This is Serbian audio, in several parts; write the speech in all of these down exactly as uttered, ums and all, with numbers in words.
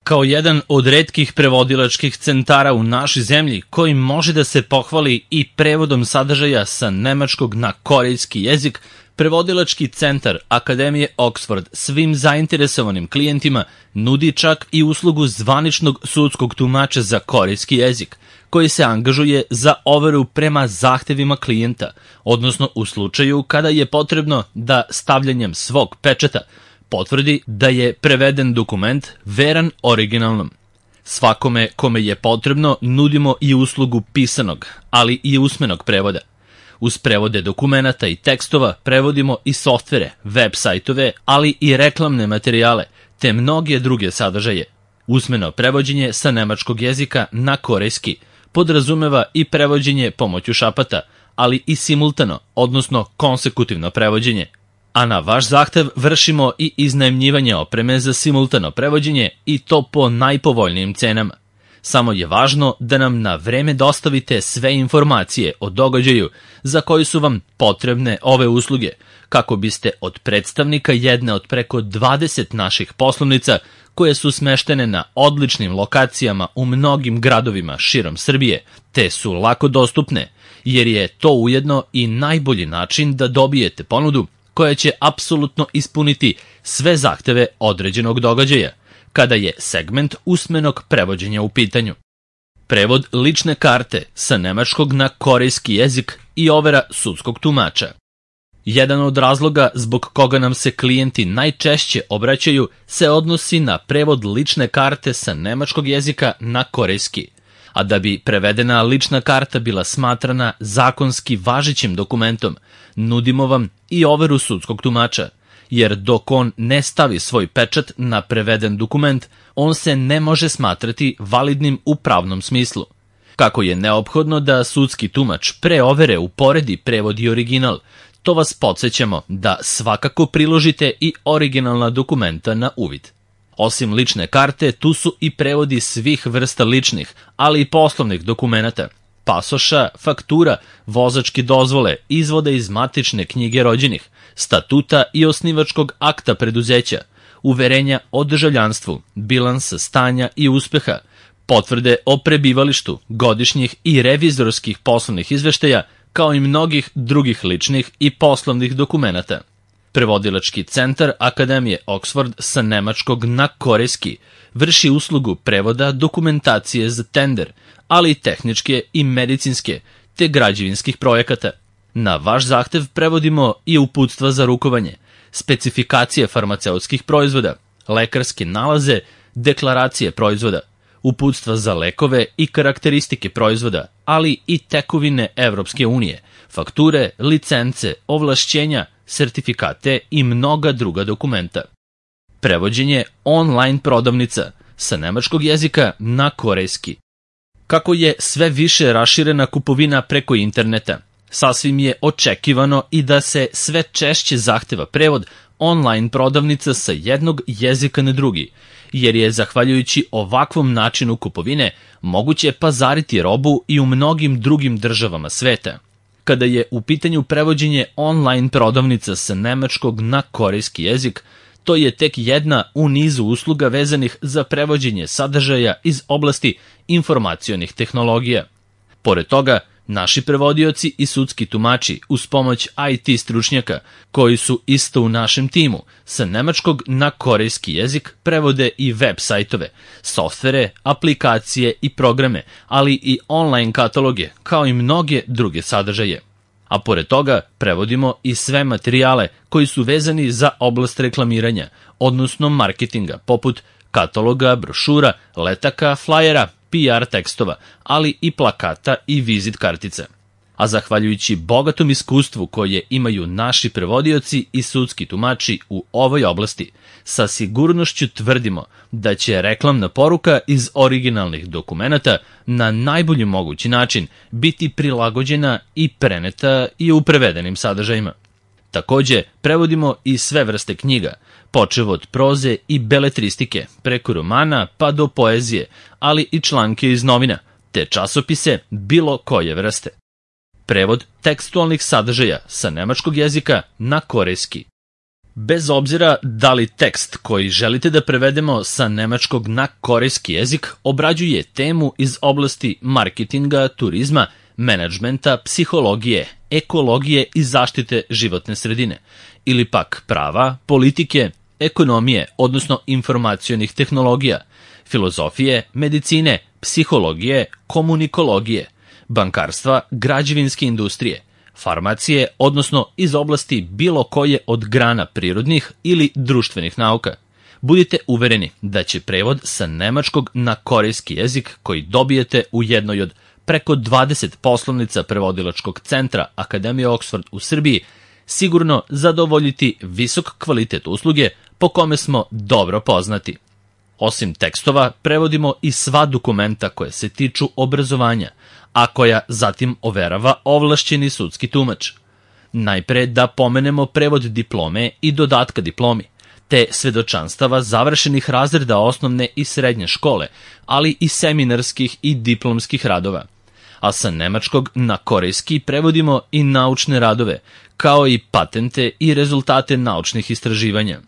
Kao jedan od retkih prevodilačkih centara u našoj zemlji koji može da se pohvali i prevodom sadržaja sa nemačkog na korejski jezik, Prevodilački centar Akademije Oxford svim zainteresovanim klijentima nudi čak i uslugu zvaničnog sudskog tumača za korejski jezik, koji se angažuje za overu prema zahtevima klijenta, odnosno u slučaju kada je potrebno da stavljanjem svog pečata potvrdi da je preveden dokument veran originalnom. Svakome kome je potrebno nudimo i uslugu pisanog, ali i usmenog prevoda. Uz prevode dokumenata i tekstova prevodimo i softvere, web sajtove, ali i reklamne materijale, te mnoge druge sadržaje. Usmeno prevođenje sa nemačkog jezika na korejski podrazumeva i prevođenje pomoću šapata, ali i simultano, odnosno konsekutivno prevođenje. A na vaš zahtev vršimo i iznajmljivanje opreme za simultano prevođenje i to po najpovoljnijim cenama. Samo je važno da nam na vreme dostavite sve informacije o događaju za koji su vam potrebne ove usluge, kako biste od predstavnika jedne od preko dvadeset naših poslovnica, koje su smeštene na odličnim lokacijama u mnogim gradovima širom Srbije, te su lako dostupne, jer je to ujedno i najbolji način da dobijete ponudu koja će apsolutno ispuniti sve zahteve određenog događaja, kada je segment usmenog prevođenja u pitanju. Prevod lične karte sa nemačkog na korejski jezik i overa sudskog tumača. Jedan od razloga zbog koga nam se klijenti najčešće obraćaju se odnosi na prevod lične karte sa nemačkog jezika na korejski, a da bi prevedena lična karta bila smatrana zakonski važećim dokumentom, nudimo vam i overu sudskog tumača, jer dok on ne stavi svoj pečat na preveden dokument, on se ne može smatrati validnim u pravnom smislu. Kako je neophodno da sudski tumač pre overe uporedi prevod i original, to vas podsjećamo da svakako priložite i originalna dokumenta na uvid. Osim lične karte, tu su i prevodi svih vrsta ličnih, ali i poslovnih dokumenata, pasoša, faktura, vozačke dozvole, izvode iz matične knjige rođenih, statuta i osnivačkog akta preduzeća, uverenja o državljanstvu, bilansa stanja i uspeha, potvrde o prebivalištu, godišnjih i revizorskih poslovnih izveštaja, kao i mnogih drugih ličnih i poslovnih dokumenata. Prevodilački centar Akademije Oxford sa nemačkog na korejski vrši uslugu prevoda dokumentacije za tender, ali i tehničke i medicinske, te građevinskih projekata. Na vaš zahtev prevodimo i uputstva za rukovanje, specifikacije farmaceutskih proizvoda, lekarske nalaze, deklaracije proizvoda, uputstva za lekove i karakteristike proizvoda, ali i tekovine Evropske unije, fakture, licence, ovlašćenja, sertifikate i mnoga druga dokumenta. Prevođenje online prodavnica sa nemačkog jezika na korejski. Kako je sve više raširena kupovina preko interneta, sasvim je očekivano i da se sve češće zahteva prevod online prodavnica sa jednog jezika na drugi, jer je zahvaljujući ovakvom načinu kupovine moguće pazariti robu i u mnogim drugim državama sveta. Kada je u pitanju prevođenje online prodavnica sa nemačkog na korejski jezik, to je tek jedna u nizu usluga vezanih za prevođenje sadržaja iz oblasti informacionih tehnologija. Pored toga, naši prevodioci i sudski tumači uz pomoć I T stručnjaka, koji su isto u našem timu, sa nemačkog na korejski jezik prevode i web sajtove, softvere, aplikacije i programe, ali i online kataloge, kao i mnoge druge sadržaje. A pored toga prevodimo i sve materijale koji su vezani za oblast reklamiranja, odnosno marketinga, poput kataloga, brošura, letaka, flajera, P R tekstova, ali i plakata i vizit kartica. A zahvaljujući bogatom iskustvu koje imaju naši prevodioci i sudski tumači u ovoj oblasti, sa sigurnošću tvrdimo da će reklamna poruka iz originalnih dokumenata na najbolji mogući način biti prilagođena i preneta i u prevedenim sadržajima. Takođe, prevodimo i sve vrste knjiga, počev od proze i beletristike, preko romana pa do poezije, ali i članke iz novina, te časopise bilo koje vrste. Prevod tekstualnih sadržaja sa nemačkog jezika na korejski. Bez obzira da li tekst koji želite da prevedemo sa nemačkog na korejski jezik obrađuje temu iz oblasti marketinga, turizma, menadžmenta, psihologije, ekologije i zaštite životne sredine, ili pak prava, politike, ekonomije, odnosno informacionih tehnologija, filozofije, medicine, psihologije, komunikologije, bankarstva, građevinske industrije, farmacije, odnosno iz oblasti bilo koje od grana prirodnih ili društvenih nauka. Budite uvereni da će prevod sa nemačkog na korejski jezik koji dobijete u jednoj od preko dvadeset poslovnica prevodilačkog centra Akademije Oxford u Srbiji sigurno zadovoljiti visok kvalitet usluge po kome smo dobro poznati. Osim tekstova, prevodimo i sva dokumenta koje se tiču obrazovanja, a koja zatim overava ovlašćeni sudski tumač. Najpre da pomenemo prevod diplome i dodatka diplomi, te svedočanstava završenih razreda osnovne i srednje škole, ali i seminarskih i diplomskih radova. A sa nemačkog na korejski prevodimo i naučne radove, kao i patente i rezultate naučnih istraživanja.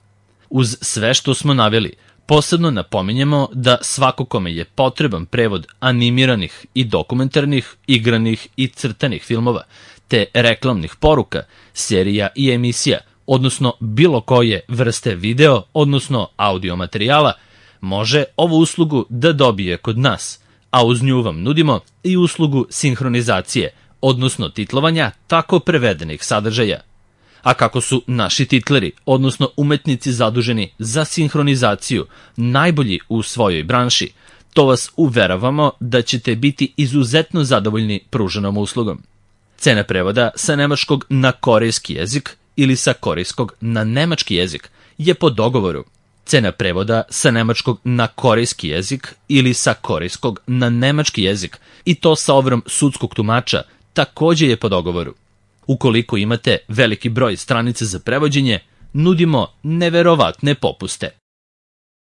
Uz sve što smo naveli, posebno napominjemo da svako kome je potreban prevod animiranih i dokumentarnih, igranih i crtanih filmova, te reklamnih poruka, serija i emisija, odnosno bilo koje vrste video, odnosno audio materijala, može ovu uslugu da dobije kod nas, a uz nju vam nudimo i uslugu sinhronizacije, odnosno titlovanja tako prevedenih sadržaja. A kako su naši titleri, odnosno umetnici zaduženi za sinhronizaciju, najbolji u svojoj branši, to vas uveravamo da ćete biti izuzetno zadovoljni pruženom uslugom. Cena prevoda sa nemačkog na korejski jezik ili sa korejskog na nemački jezik je po dogovoru. Cena prevoda sa nemačkog na korejski jezik ili sa korejskog na nemački jezik i to sa overom sudskog tumača takođe je po dogovoru. Ukoliko imate veliki broj stranica za prevođenje, nudimo neverovatne popuste.